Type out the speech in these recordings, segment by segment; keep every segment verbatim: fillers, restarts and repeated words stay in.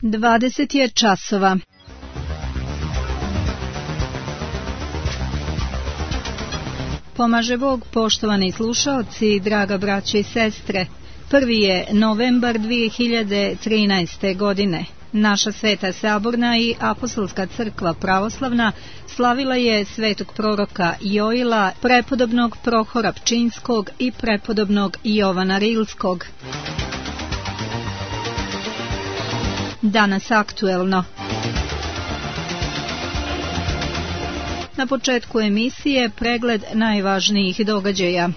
Dvadeset je časova. Pomaže Bog, poštovani slušaoci, draga braće i sestre. Prvi je novembar dvije hiljade trinaeste. godine. Naša Sveta Saborna i Apostolska crkva pravoslavna slavila je svetog proroka Joila, prepodobnog Prohora Pčinjskog i prepodobnog Jovana Rilskog. Danas aktuelno. Na početku emisije pregled najvažnijih događaja.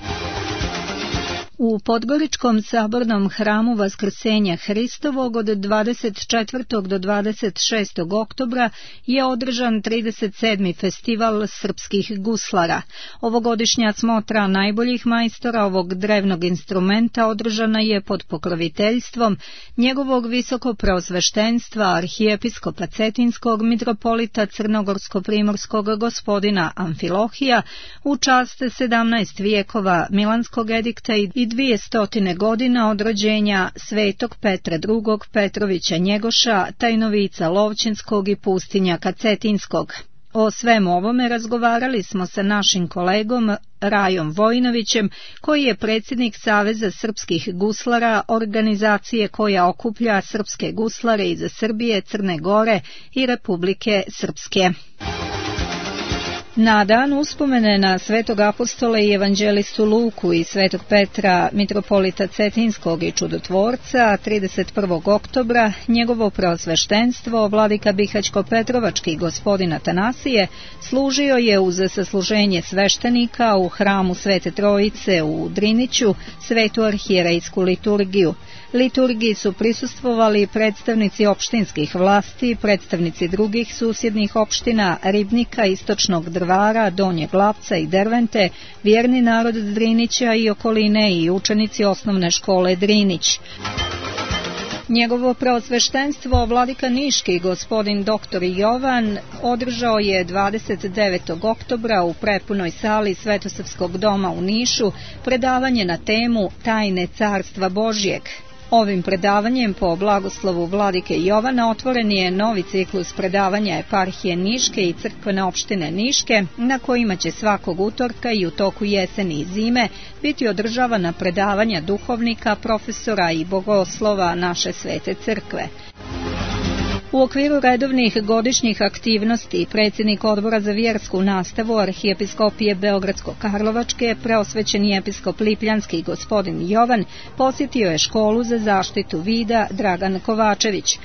U Podgoričkom sabornom hramu Vaskrsenja Hristovog od dvadeset četvrtog do dvadeset šestog oktobra je održan trideset sedmi festival srpskih guslara. Ovogodišnja smotra najboljih majstora ovog drevnog instrumenta održana je pod pokroviteljstvom njegovog visokopreosveštenstva arhijepiskopa Cetinskog mitropolita Crnogorsko-primorskog gospodina Amfilohija u čast sedamnaest vijekova Milanskog edikta i dvije stotine godina od rođenja svetog Petra drugog Petrovića Njegoša, tajnovica Lovćenskog i pustinjaka Cetinskog. O svemu ovome razgovarali smo sa našim kolegom Rajom Vojinovićem, koji je predsjednik Saveza srpskih guslara, organizacije koja okuplja srpske guslare iz Srbije, Crne Gore i Republike Srpske. Na dan uspomene na svetog apostola i evanđelistu Luku i svetog Petra, mitropolita Cetinskog i čudotvorca, trideset prvog oktobra, njegovo preosveštenstvo, vladika Bihaćko-Petrovački gospodin Atanasije, služio je uz sasluženje sveštenika u hramu Svete Trojice u Driniću svetu arhijerejsku liturgiju. Liturgiji su prisustvovali predstavnici opštinskih vlasti, predstavnici drugih susjednih opština, Ribnika, Istočnog Drvara, Donjeg Lapca i Dervente, vjerni narod Drinića i okoline i učenici osnovne škole Drinić. Njegovo preosveštenstvo, vladika Niški gospodin doktor Jovan, održao je dvadeset devetog oktobra u prepunoj sali Svetosrpskog doma u Nišu predavanje na temu Tajne carstva Božjeg. Ovim predavanjem po blagoslovu vladike Jovana otvoren je novi ciklus predavanja eparhije Niške i crkvene opštine Niške, na kojima će svakog utorka i u toku jeseni i zime biti održavana predavanja duhovnika, profesora i bogoslova naše svete crkve. U okviru redovnih godišnjih aktivnosti predsjednik Odbora za vjersku nastavu arhijepiskopije Beogradsko-Karlovačke, preosvećeni episkop Lipljanski gospodin Jovan, posjetio je školu za zaštitu vida Dragan Kovačević.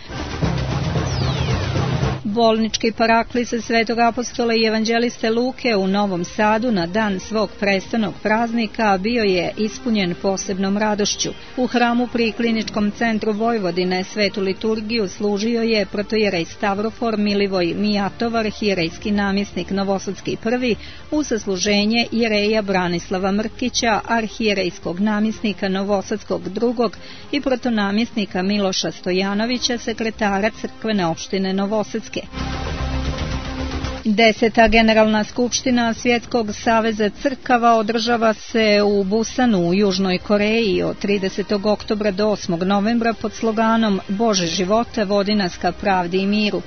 Bolnički paraklis svetog apostola i evanđeliste Luke u Novom Sadu na dan svog prestanog praznika bio je ispunjen posebnom radošću. U hramu pri Kliničkom centru Vojvodine svetu liturgiju služio je protojerej Stavrofor Milivoj Mijatov, arhijerejski namjesnik Novosadski prvi, u sasluženje jereja Branislava Mrkića, arhijerejskog namjesnika Novosadskog drugog i protonamjesnika Miloša Stojanovića, sekretara crkvene opštine Novosadske. Deseta generalna skupština Svjetskog saveza crkava održava se u Busanu u Južnoj Koreji od tridesetog oktobra do osmog novembra pod sloganom Bože živote, vodi nas ka pravdi i miru.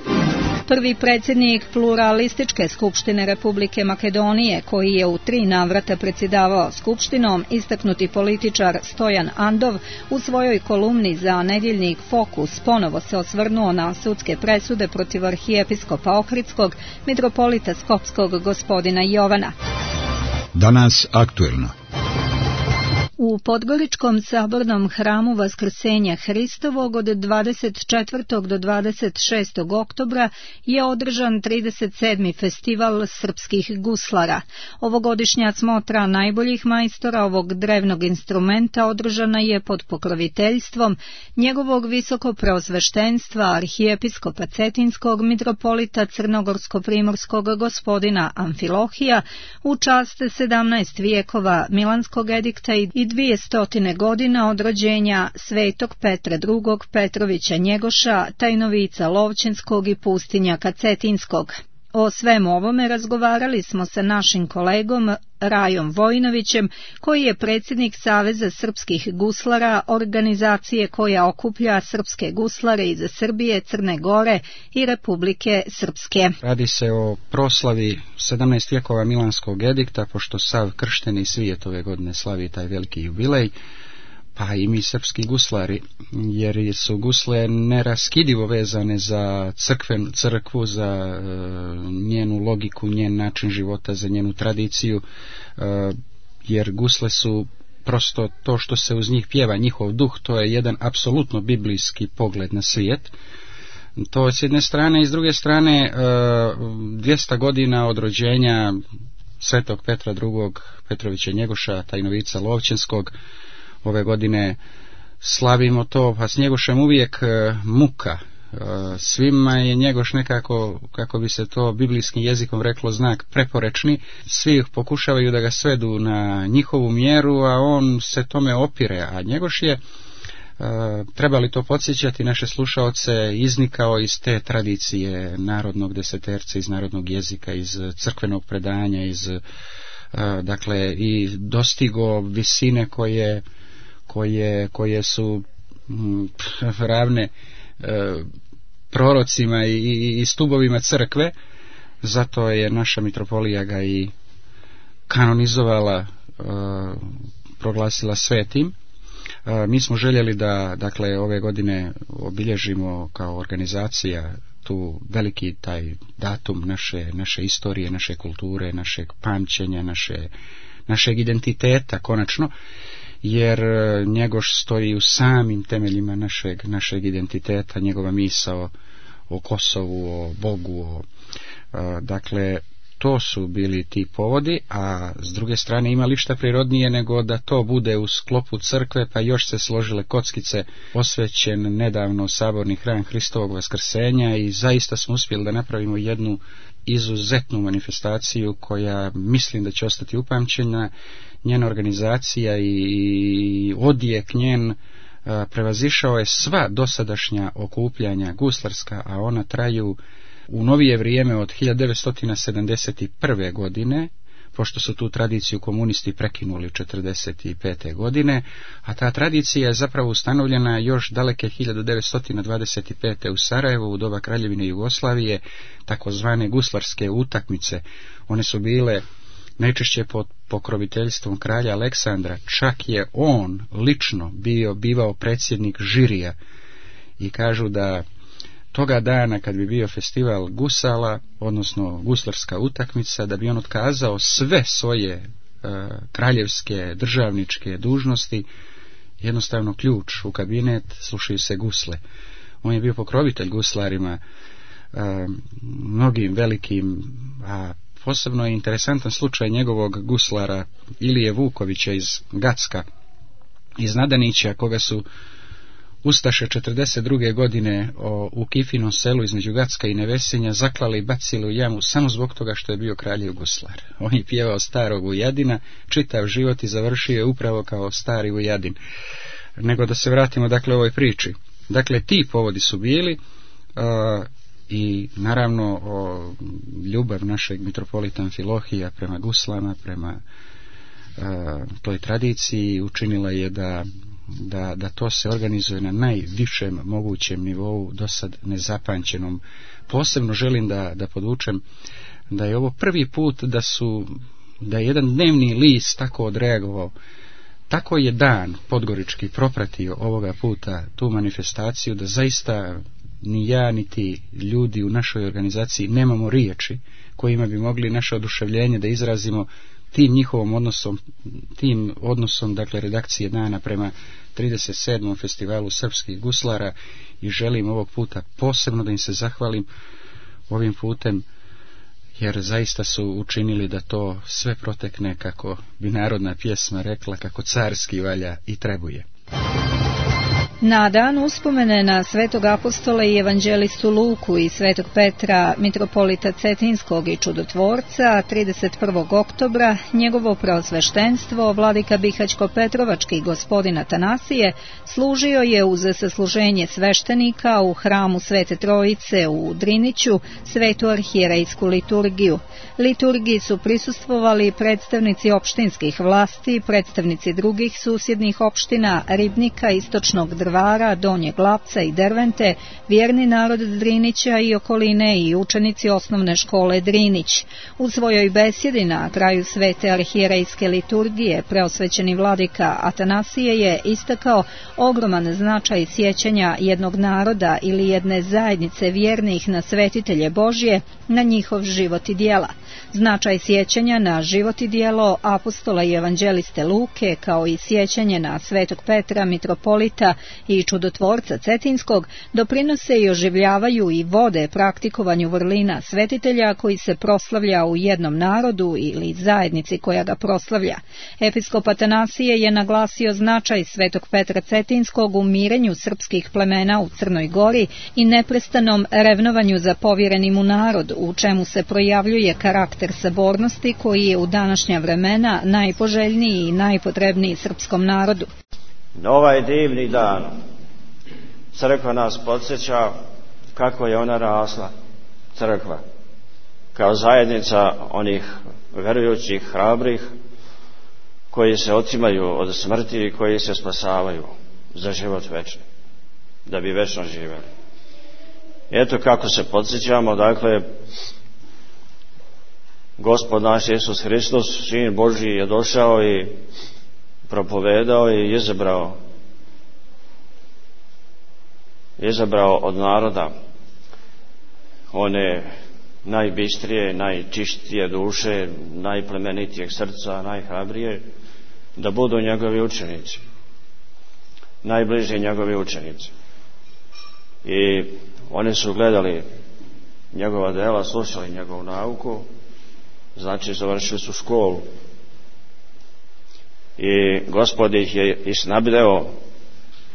Prvi predsjednik pluralističke skupštine Republike Makedonije, koji je u tri navrata predsjedavao skupštinom, istaknuti političar Stojan Andov, u svojoj kolumni za nedjeljnik Fokus ponovo se osvrnuo na sudske presude protiv arhijepiskopa Ohridskog, mitropolita Skopskog gospodina Jovana. Danas aktuelno. U Podgoričkom sabornom hramu Vaskrsenja Hristovog od dvadeset četvrtog do dvadeset šestog oktobra je održan trideset sedmi festival srpskih guslara. Ovogodišnja smotra najboljih majstora ovog drevnog instrumenta održana je pod pokroviteljstvom njegovog visokopreosveštenstva arhijepiskopa Cetinskog mitropolita Crnogorsko-primorskog gospodina Amfilohija u čast sedamnaest vijekova Milanskog edikta i dvije stotine godina od rođenja svetog Petra drugog Petrovića Njegoša, tajnovica Lovćenskog i pustinjaka Cetinskog. O svemu ovome razgovarali smo sa našim kolegom Rajom Vojinovićem, koji je predsjednik Saveza srpskih guslara, organizacije koja okuplja srpske guslare iz Srbije, Crne Gore i Republike Srpske. Radi se o proslavi sedamnaest vjekova Milanskog edikta, pošto sav kršteni svijet ove godine slavi taj veliki jubilej, pa i mi srpski guslari, jer su gusle neraskidivo vezane za crkven, crkvu, za e, njenu logiku, njen način života, za njenu tradiciju, e, jer gusle su prosto to što se uz njih pjeva, njihov duh, to je jedan apsolutno biblijski pogled na svijet. To s jedne strane, i s druge strane e, dvjesto godina od rođenja svetog Petra drugog. Petrovića Njegoša, tajnovica Lovćenskog. Ove godine slavimo to, pa s Njegošem uvijek e, muka. E, svima je Njegoš nekako, kako bi se to biblijskim jezikom reklo, znak preporečni. Svi pokušavaju da ga svedu na njihovu mjeru, a on se tome opire. A Njegoš je, e, treba li to podsjećati naše slušaoce, iznikao iz te tradicije narodnog deseterca, iz narodnog jezika, iz crkvenog predanja, iz, e, dakle, i dostigo visine koje koje, koje su m, ravne e, prorocima i, i, i stubovima crkve. Zato je naša mitropolija ga i kanonizovala, e, proglasila svetim. E, mi smo željeli da, dakle, ove godine obilježimo kao organizacija tu veliki taj datum naše, naše istorije, naše kulture, našeg pamćenja, naše, našeg identiteta konačno, jer Njegoš stoji u samim temeljima našeg, našeg identiteta, njegova misao o Kosovu, o Bogu, o, a, dakle, to su bili ti povodi, a s druge strane ima li šta prirodnije nego da to bude u sklopu crkve, pa još se složile kockice, posvećen nedavno saborni hram Hristovog vaskrsenja, i zaista smo uspjeli da napravimo jednu izuzetnu manifestaciju koja mislim da će ostati upamćena. Njena organizacija i odjek njen prevazišao je sva dosadašnja okupljanja guslarska, a ona traju u novije vrijeme od hiljadu devetsto sedamdeset prve. godine, pošto su tu tradiciju komunisti prekinuli četrdeset pete. godine, a ta tradicija je zapravo ustanovljena još daleke hiljadu devetsto dvadeset pete. u Sarajevu u doba Kraljevine Jugoslavije, takozvane guslarske utakmice. One su bile najčešće pod pokroviteljstvom kralja Aleksandra, čak je on lično bio bivao predsjednik žirija, i kažu da toga dana kad bi bio festival gusala, odnosno guslarska utakmica, da bi on otkazao sve svoje e, kraljevske državničke dužnosti, jednostavno ključ u kabinet, slušaju se gusle. On je bio pokrovitelj guslarima, e, mnogim velikim, a posebno je interesantan slučaj njegovog guslara Ilije Vukovića iz Gacka, iz Nadanića, koga su ustaše četrdeset druge. godine o, u Kifinom selu između Gacka i Nevesinja zaklali i bacili u jamu samo zbog toga što je bio kraljev guslar. On je pjevao starog Vujadina, čitav život, i završio je upravo kao stari Vujadin. Nego da se vratimo, dakle, ovoj priči. Dakle, ti povodi su bili, uh, i naravno o, ljubav našeg mitropolita Amfilohija prema guslama, prema uh, toj tradiciji učinila je da Da, da to se organizuje na najvišem mogućem nivou, do sad nezapamćenom. Posebno želim da, da podvučem da je ovo prvi put da su da je jedan dnevni list tako odreagovao, tako je Dan podgorički propratio ovoga puta tu manifestaciju, da zaista ni ja niti ljudi u našoj organizaciji nemamo riječi kojima bi mogli naše oduševljenje da izrazimo tim njihovom odnosom, tim odnosom, dakle, redakcije Dana prema trideset sedmom festivalu srpskih guslara, i želim ovog puta posebno da im se zahvalim ovim putem, jer zaista su učinili da to sve protekne, kako bi narodna pjesma rekla, kako carski valja i trebuje. Na dan uspomene na svetog apostola i evanđelistu Luku i svetog Petra, mitropolita Cetinskog i čudotvorca, trideset prvog oktobra, njegovo preosveštenstvo, vladika Bihaćko-Petrovački gospodin Atanasije, služio je uz sasluženje sveštenika u hramu Svete Trojice u Driniću svetu arhijerejsku liturgiju. Liturgiji su prisustvovali predstavnici opštinskih vlasti, predstavnici drugih susjednih opština, Ribnika, Istočnog Drvara, Donjeg Lapca i Dervente, vjerni narod Drinića i okoline i učenici osnovne škole Drinić. U svojoj besjedi na kraju svete arhijerejske liturgije preosvećeni vladika Atanasije je istakao ogroman značaj sjećanja jednog naroda ili jedne zajednice vjernih na svetitelje Božje, na njihov život i djela. Značaj sjećanja na život i djelo apostola i evanđeliste Luke, kao i sjećanje na svetog Petra, mitropolita i čudotvorca Cetinskog, doprinose i oživljavaju i vode praktikovanju vrlina svetitelja koji se proslavlja u jednom narodu ili zajednici koja ga proslavlja. Episkop Atanasije je naglasio značaj svetog Petra Cetinskog u mirenju srpskih plemena u Crnoj Gori i neprestanom revnovanju za povjereni mu narod, u čemu se projavljuje karakter sabornosti koji je u današnja vremena najpoželjniji i najpotrebniji srpskom narodu. Na ovaj divni dan crkva nas podsjeća kako je ona rasla, crkva, kao zajednica onih verujućih, hrabrih, koji se otimaju od smrti i koji se spasavaju za život večni, da bi večno živjeli. Eto kako se podsjećamo, dakle, Gospod naš Isus Hristos, Sin Božji, je došao i propovedao i izabrao izabrao od naroda one najbistrije, najčištije duše, najplemenitijeg srca, najhrabrije, da budu njegovi učenici, najbliži njegovi učenici. I oni su gledali njegova dela, slušali njegovu nauku, znači završili su školu. I Gospod ih je i snabdeo,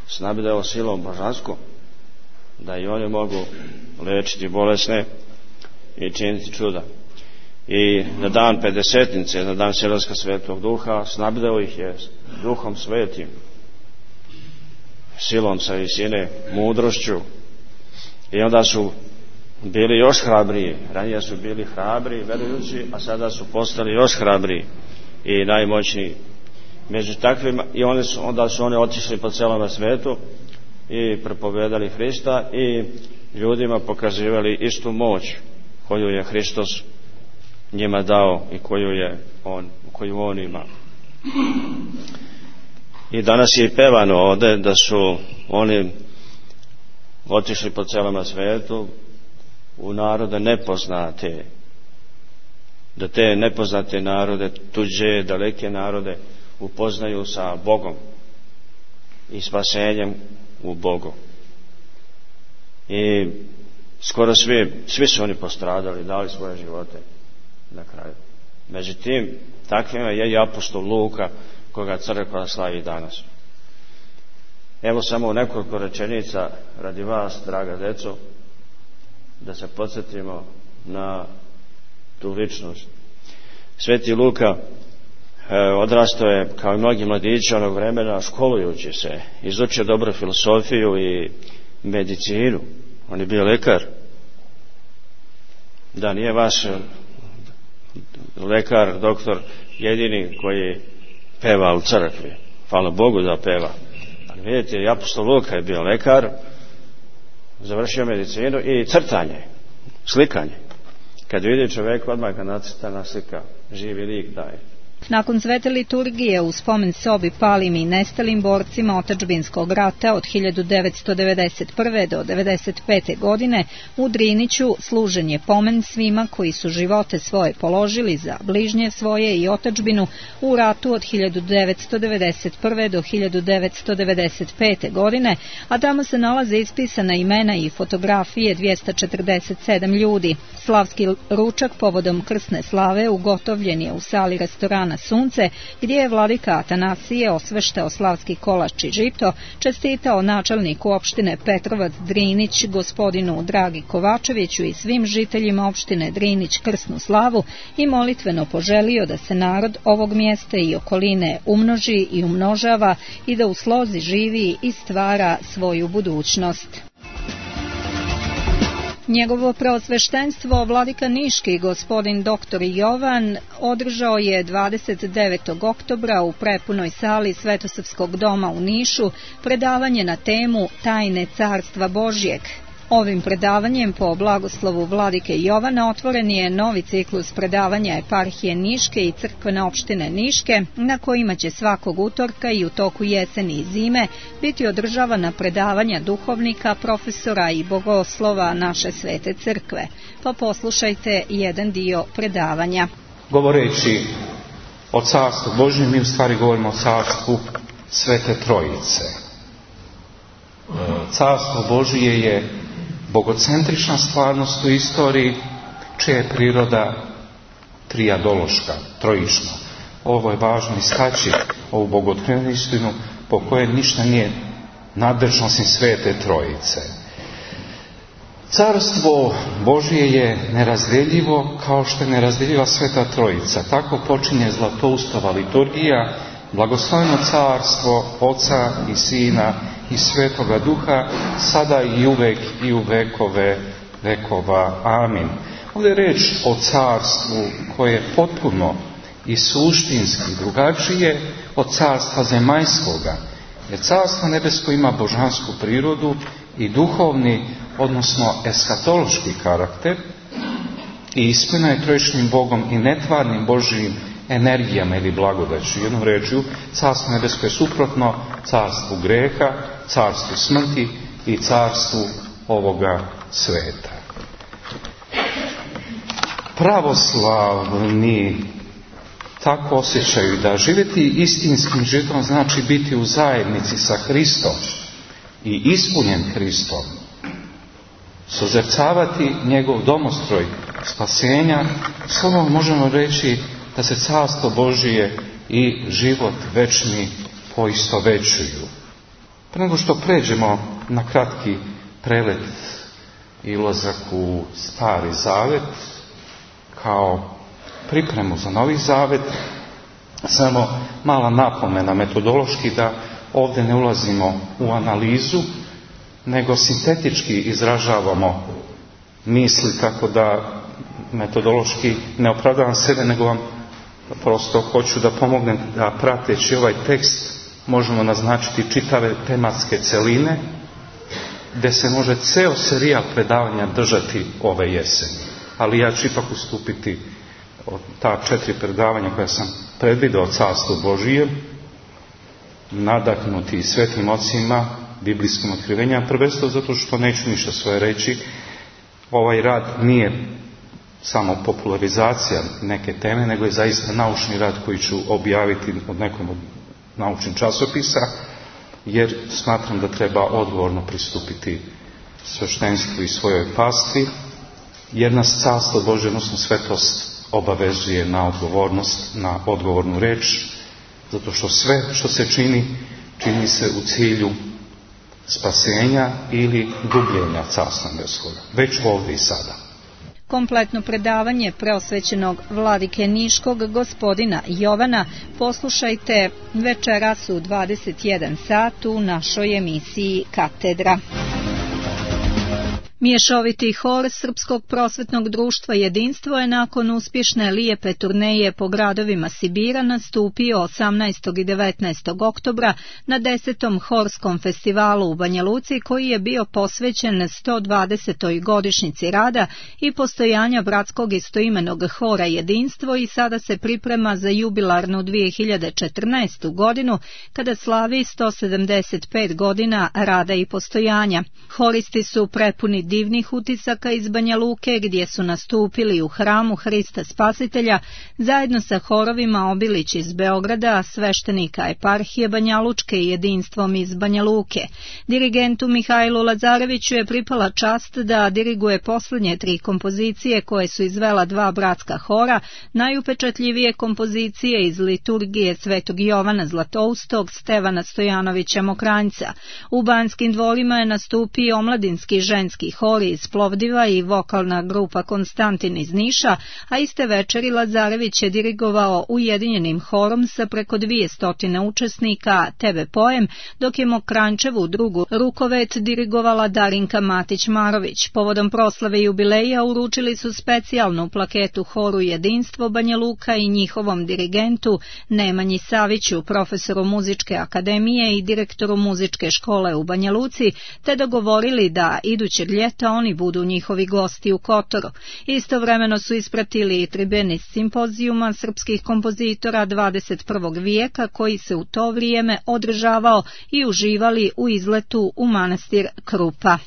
snabdeo silom božanskom, da i oni mogu liječiti bolesne i činiti čuda. I na dan Pedesetnice, na dan silaska Svetog Duha, snabdeo ih je Duhom Svetim, silom sa visine, mudrošću. I onda su bili još hrabriji. Ranije su bili hrabri, verujući, a sada su postali još hrabriji i najmoćniji. Među takvima, i oni su, onda su oni otišli po celom svijetu i propovedali Hrista i ljudima pokazivali istu moć koju je Hristos njima dao i koju je on, koju on ima. I danas je i pevano ovdje da su oni otišli po celom svijetu u narode nepoznate, da te nepoznate narode, tuđe, daleke narode upoznaju sa Bogom i spasenjem u Bogu. I skoro svi, svi su oni postradali, dali svoje živote na kraju. Međutim, takvima je i apostol Luka, koga crkva slavi danas. Evo samo u nekoliko rečenica radi vas, draga deco, da se podsjetimo na tu ličnost. Sveti Luka odrastao je kao i mnogi mladići onog vremena školujući se, izučio dobro filosofiju i medicinu. On je bio lekar. Da, nije vaš lekar, doktor jedini koji peva u crkvi. Hvala Bogu da peva. Ali vidite, i apostol Luka je bio lekar, završio medicinu i crtanje, slikanje. Kad vidi čovjek, odmah ga nacrtana slika, živi lik daje. Nakon svete liturgije u spomen sobi palim i nestalim borcima otadžbinskog rata od hiljadu devetsto devedeset prve do devedeset pete. godine u Driniću služen je pomen svima koji su živote svoje položili za bližnje svoje i otadžbinu u ratu od hiljadu devetsto devedeset prve. do hiljadu devetsto devedeset pete. godine, a tamo se nalaze ispisana imena i fotografije dvjesto četrdeset sedam ljudi. Slavski ručak povodom krsne slave ugotovljen je u sali restorana na sunce, gdje je vladika Atanasije osveštao slavski kolač i žito, čestitao načelniku opštine Petrovac Drinić, gospodinu Dragi Kovačeviću i svim žiteljima opštine Drinić krsnu slavu i molitveno poželio da se narod ovog mjesta i okoline umnoži i umnožava i da u slozi živi i stvara svoju budućnost. Njegovo preosveštenstvo vladika Niški gospodin doktor Jovan održao je dvadeset devetog oktobra u prepunoj sali Svetosavskog doma u Nišu predavanje na temu Tajne carstva Božjeg. Ovim predavanjem po blagoslovu vladike Jovana otvoren je novi ciklus predavanja eparhije Niške i crkvene opštine Niške, na kojima će svakog utorka i u toku jeseni i zime biti održavana predavanja duhovnika, profesora i bogoslova naše svete crkve. Pa poslušajte jedan dio predavanja. Govoreći o carstvu Božjem, mi u stvari govorimo o carstvu Svete Trojice. Carstvo Božje je bogocentrična stvarnost u istoriji, čija je priroda trijadološka, trojična. Ovo je važno istaći, ovu bogotvornu istinu po kojoj ništa nije nadležno osim Svete Trojice. Carstvo Božje je nerazdjeljivo kao što je nerazdjeljiva Sveta Trojica. Tako počinje Zlatoustova liturgija, blagosloveno carstvo Oca i Sina i Svetoga Duha, sada i uvek i u vekove vekova. Amin. Ovdje je reč o carstvu koje je potpuno i suštinski drugačije od carstva zemaljskoga, jer carstvo nebesko ima božansku prirodu i duhovni, odnosno eskatološki karakter i ispunjeno je trojičnim Bogom i netvarnim Božjim energijama ili blagodaću. Jednom rečju, carstvo nebesko je suprotno carstvu greha, carstvu smrti i carstvu ovoga sveta. Pravoslavni tako osjećaju da živjeti istinskim životom znači biti u zajednici sa Hristom i ispunjen Hristom, sozercavati njegov domostroj spasenja. Slovom možemo reći da se carstvo Božije i život večni poistovećuju. Pre nego što pređemo na kratki prelet i ulazak u Stari Zavet kao pripremu za Novi Zavet, samo mala napomena metodološki da ovdje ne ulazimo u analizu, nego sintetički izražavamo misli, tako da metodološki ne opravdavam sebe, nego vam prosto hoću da pomognem da prateći ovaj tekst možemo naznačiti čitave tematske celine, gdje se može ceo serijal predavanja držati ove jeseni. Ali ja ću ipak ustupiti od ta četiri predavanja koja sam predvideo o carstvu Božijem, nadahnuti svetim ocima, biblijskim otkrivenjima, prvenstveno zato što neću ništa svoje reći. Ovaj rad nije samo popularizacija neke teme, nego je zaista naučni rad koji ću objaviti od nekom od naučnih časopisa, jer smatram da treba odgovorno pristupiti sveštenstvu i svojoj pasti, jer nas carstvo Božje, odnosno svetost, obavezuje na odgovornost, na odgovornu reč, zato što sve što se čini, čini se u cilju spasenja ili gubljenja carstva nebeskoga, već ovdje i sada. Kompletno predavanje preosvećenog vladike Niškog gospodina Jovana poslušajte večeras u dvadeset jedan sat u našoj emisiji Katedra. Mješoviti hor Srpskog prosvetnog društva Jedinstvo je nakon uspješne lijepe turneje po gradovima Sibira nastupio osamnaestog i devetnaestog oktobra na desetom horskom festivalu u Banja Luci, koji je bio posvećen sto dvadesetoj godišnjici rada i postojanja bratskog istoimenog hora Jedinstvo i sada se priprema za jubilarnu dvije hiljade četrnaestu godinu kada slavi sto sedamdeset pet godina rada i postojanja. Horisti su prepuni divnih utisaka iz Banja Luke, gdje su nastupili u hramu Hrista Spasitelja zajedno sa horovima Obilić iz Beograda, sveštenika eparhije Banjalučke i jedinstvom iz Banja Luke. Dirigentu Mihajlu Lazareviću je pripala čast da diriguje posljednje tri kompozicije koje su izvela dva bratska hora, najupečatljivije kompozicije iz liturgije Svetog Jovana Zlatoustog, Stevana Stojanovića Mokranjca. U Banskim dvorima je nastupio omladinski ženski hor iz Plovdiva i vokalna grupa Konstantin iz Niša, a iste večeri Lazarević je dirigovao ujedinjenim horom sa preko dvije stotine učesnika Tebe poem, dok je Mokranjčevu drugu rukovet dirigovala Darinka Matić-Marović. Povodom proslave jubileja uručili su specijalnu plaketu horu Jedinstvo Banja Luka i njihovom dirigentu Nemanji Saviću, profesoru muzičke akademije i direktoru muzičke škole u Banja Luci, te dogovorili da idućeg ljeta oni budu njihovi gosti u Kotoru. Istovremeno su ispratili i tribeni simpozijuma srpskih kompozitora dvadeset prvog vijeka koji se u to vrijeme održavao i uživali u izletu u manastir Krupa.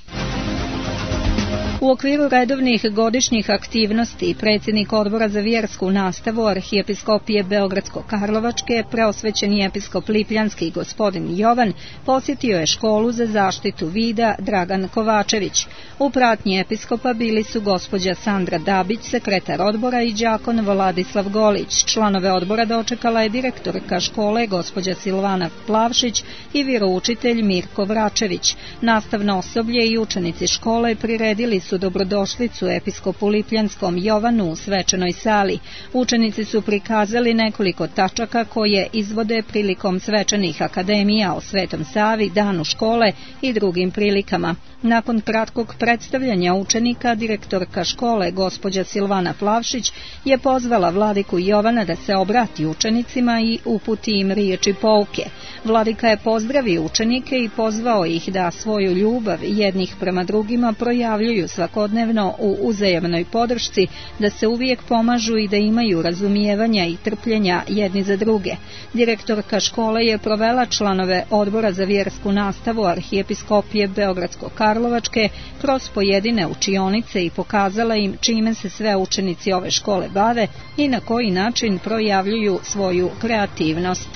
U okviru redovnih godišnjih aktivnosti predsjednik Odbora za vjersku nastavu Arhijepiskopije Beogradsko-Karlovačke, preosvećeni episkop Lipljanski gospodin Jovan, posjetio je školu za zaštitu vida Dragan Kovačević. U pratnji episkopa bili su gospođa Sandra Dabić, sekretar odbora, i đakon Vladislav Golić. Članove odbora dočekala je direktorka škole gospođa Silvana Plavšić i vjeroučitelj Mirko Vračević. Nastavno osoblje i učenici škole priredili su dobrodošlicu episkopu Lipljanskom Jovanu u svečanoj sali. Učenici su prikazali nekoliko tačaka koje izvode prilikom svečanih akademija o Svetom Savi, danu škole i drugim prilikama. Nakon kratkog predstavljanja učenika, direktorka škole gospođa Silvana Plavšić je pozvala vladiku Jovana da se obrati učenicima i uputi im riječi pouke. Vladika je pozdravio učenike i pozvao ih da svoju ljubav jednih prema drugima projavljuju svakodnevno u uzajamnoj podršci, da se uvijek pomažu i da imaju razumijevanja i trpljenja jedni za druge. Direktorka škole je provela članove Odbora za vjersku nastavu Arhijepiskopije Beogradsko-Karlovačke kroz pojedine učionice i pokazala im čime se sve učenici ove škole bave i na koji način projavljuju svoju kreativnost.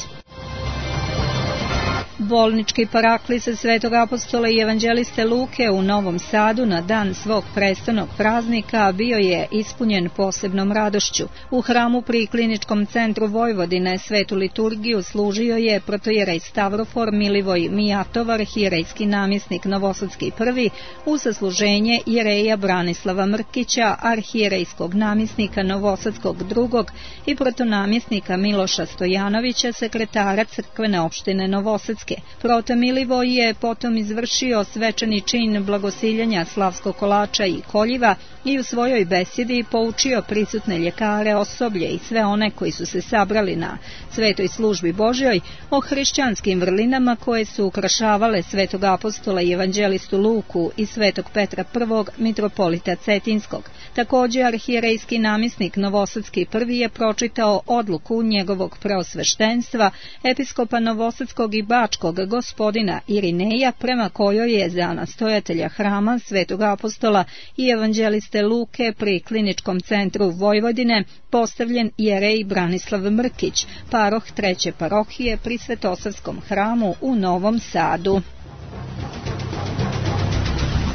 Bolnički paraklis Svetog apostola i evanđeliste Luke u Novom Sadu na dan svog prestolnog praznika bio je ispunjen posebnom radošću. U hramu pri Kliničkom centru Vojvodine svetu liturgiju služio je protojerej Stavrofor Milivoj Mijatovar, arhijerejski namjesnik Novosadski prvi, u sasluženje jereja Branislava Mrkića, arhijerejskog namjesnika Novosadskog drugog i protonamjesnika Miloša Stojanovića, sekretara crkvene opštine Novosadske. Proto Milivoj je potom izvršio svečani čin blagosiljanja slavskog kolača i koljiva i u svojoj besjedi poučio prisutne ljekare, osoblje i sve one koji su se sabrali na svetoj službi Božjoj o hrišćanskim vrlinama koje su ukrašavale Svetog apostola i evanđelistu Luku i Svetog Petra prvog mitropolita Cetinskog. Također arhijerejski namjesnik Novosadski prvi je pročitao odluku njegovog preosveštenstva episkopa Novosadskog i Bačkog gospodina Irineja, prema kojoj je za nastojatelja hrama Svetog apostola i evanđeliste Luke pri Kliničkom centru Vojvodine postavljen jerej Branislav Mrkić, paroh treće parohije pri Svetosavskom hramu u Novom Sadu.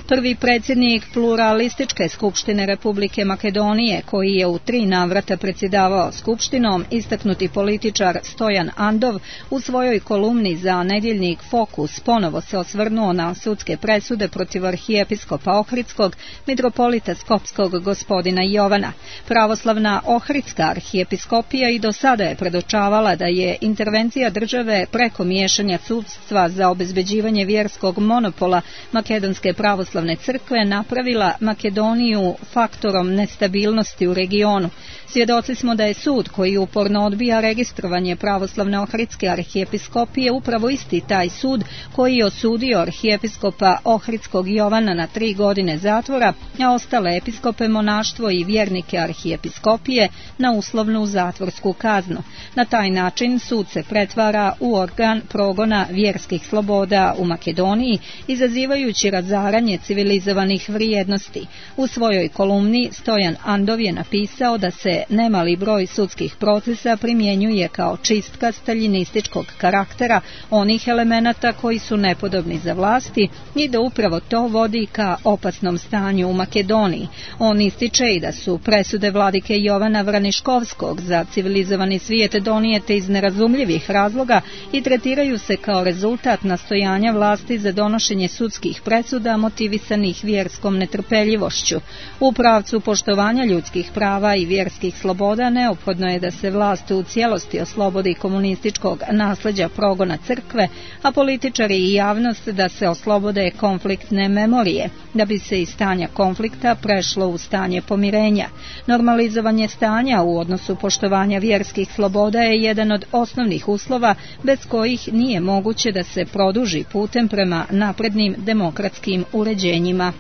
Prvi predsjednik pluralističke skupštine Republike Makedonije, koji je u tri navrata predsjedavao skupštinom, istaknuti političar Stojan Andov, u svojoj kolumni za nedjeljnik Fokus ponovo se osvrnuo na sudske presude protiv arhijepiskopa Ohridskog, mitropolita Skopskog gospodina Jovana. Pravoslavna Ohridska arhijepiskopija i do sada je predočavala da je intervencija države preko miješanja sudstva za obezbeđivanje vjerskog monopola Makedonske pravoslavne crkve napravila Makedoniju faktorom nestabilnosti u regionu. Svjedoci smo da je sud koji uporno odbija registrovanje pravoslavne Ohridske arhijepiskopije upravo isti taj sud koji je osudio arhijepiskopa Ohridskog Jovana na tri godine zatvora, a ostale episkope, monaštvo i vjernike arhijepiskopije na uslovnu zatvorsku kaznu. Na taj način sud se pretvara u organ progona vjerskih sloboda u Makedoniji, izazivajući razaranje civilizovanih vrijednosti. U svojoj kolumni Stojan Andov je napisao da se nemali broj sudskih procesa primjenjuje kao čistka staljinističkog karaktera onih elemenata koji su nepodobni za vlasti i da upravo to vodi ka opasnom stanju u Makedoniji. On ističe i da su presude vladike Jovana Vraniškovskog za civilizovani svijet donijete iz nerazumljivih razloga i tretiraju se kao rezultat nastojanja vlasti za donošenje sudskih presuda motivisanih vjerskom netrpeljivošću. U pravcu poštovanja ljudskih prava i vjerskih sloboda neophodno je da se vlast u cijelosti oslobodi komunističkog nasleđa progona crkve, a političari i javnost da se oslobode konfliktne memorije, da bi se iz stanja konflikta prešlo u stanje pomirenja. Normalizovanje stanja u odnosu poštovanja vjerskih sloboda je jedan od osnovnih uslova bez kojih nije moguće da se produži putem prema naprednim demokratskim uređenjima.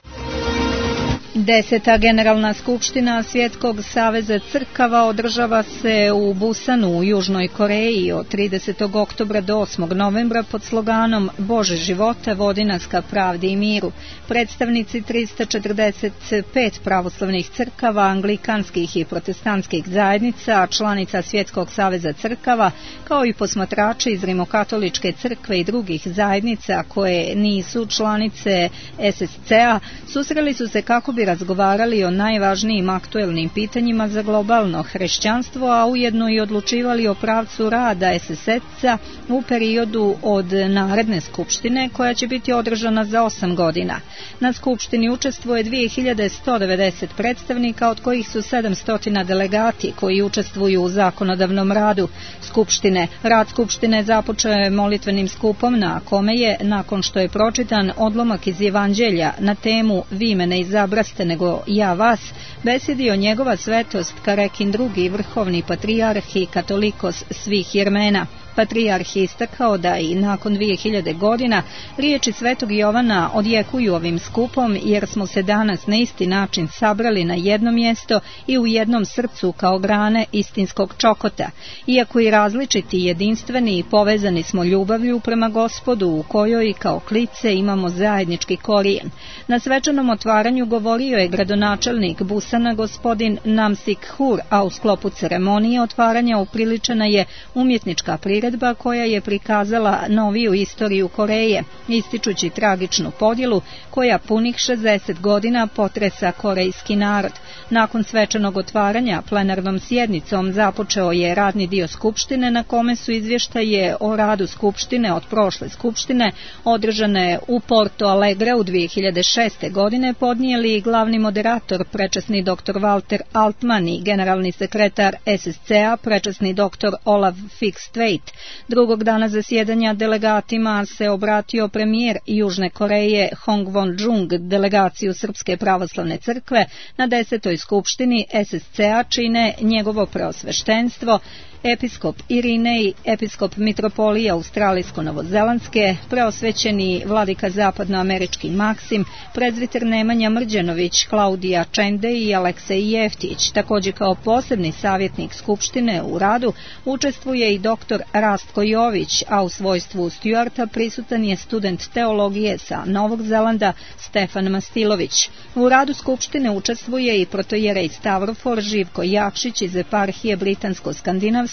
Deseta generalna skupština Svjetskog saveza crkava održava se u Busanu u Južnoj Koreji od tridesetog oktobra do osmog novembra pod sloganom Bože života, vodi nas ka pravdi i miru. Predstavnici trista četrdeset pet pravoslavnih crkava, anglikanskih i protestantskih zajednica, članica Svjetskog saveza crkava, kao i posmatrači iz Rimokatoličke crkve i drugih zajednica koje nisu članice S S C-a, susreli su se kako bi razgovarali o najvažnijim aktuelnim pitanjima za globalno hrišćanstvo, a ujedno i odlučivali o pravcu rada S S C-a u periodu od naredne skupštine koja će biti održana za osam godina. Na skupštini učestvuje dvije hiljade sto devedeset predstavnika, od kojih su sedamsto delegati koji učestvuju u zakonodavnom radu skupštine. Rad skupštine započeo je molitvenim skupom na kome je, nakon što je pročitan odlomak iz Evanđelja na temu Vi me ne izabraste nego ja vas, besjedio njegova svetost Karekin drugi vrhovni patrijarh i katolikos svih Jermena. Patrijarh je istakao da i nakon dvije hiljade godina riječi svetog Jovana odjekuju ovim skupom, jer smo se danas na isti način sabrali na jedno mjesto i u jednom srcu kao grane istinskog čokota. Iako i različiti, jedinstveni i povezani smo ljubavlju prema Gospodu, u kojoj kao klice imamo zajednički korijen. Na svečanom otvaranju govorio je gradonačelnik Busana gospodin Namsik Hur, a u sklopu ceremonije otvaranja upriličena je umjetnička priredba koja je prikazala noviju istoriju Koreje, ističući tragičnu podjelu koja punih šezdeset godina potresa korejski narod. Nakon svečanog otvaranja plenarnom sjednicom započeo je radni dio skupštine na kome su izvještaje o radu skupštine od prošle skupštine održane u Porto Alegre u dvije hiljade šeste. godine podnijeli glavni moderator prečasni doktor Walter Altman i generalni sekretar S S C-a prečasni doktor Olaf Fikstveit. Drugog dana zasjedanja delegatima se obratio premijer Južne Koreje Hong Won-jung, delegaciju Srpske pravoslavne crkve na desetoj skupštini S S C-a čine njegovo preosveštenstvo, episkop Irinej, episkop mitropolija Australijsko-Novozelandske, preosvećeni vladika zapadnoamerički Maksim, prezviter Nemanja Mrđanović, Klaudija Čende i Aleksej Jeftić. Također kao posebni savjetnik skupštine u radu učestvuje i doktor Rastko Jović, a u svojstvu Stuarta prisutan je student teologije sa Novog Zelanda Stefan Mastilović. U radu skupštine učestvuje i protojerej Stavrofor Živko Jakšić iz eparhije Britansko-Skandinavske,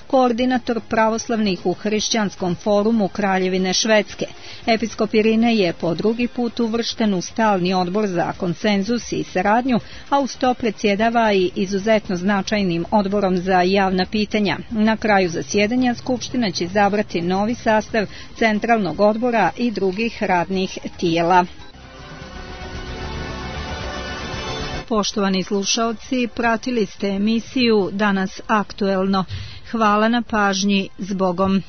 koordinator pravoslavnih u Hrišćanskom forumu Kraljevine Švedske. Episkop Irine je po drugi put uvršten u stalni odbor za konsenzus i saradnju, a uz to predsjedava i izuzetno značajnim odborom za javna pitanja. Na kraju zasjedanja skupština će izabrati novi sastav centralnog odbora i drugih radnih tijela. Poštovani slušaoci, pratili ste emisiju Danas aktuelno. Hvala na pažnji, zbogom.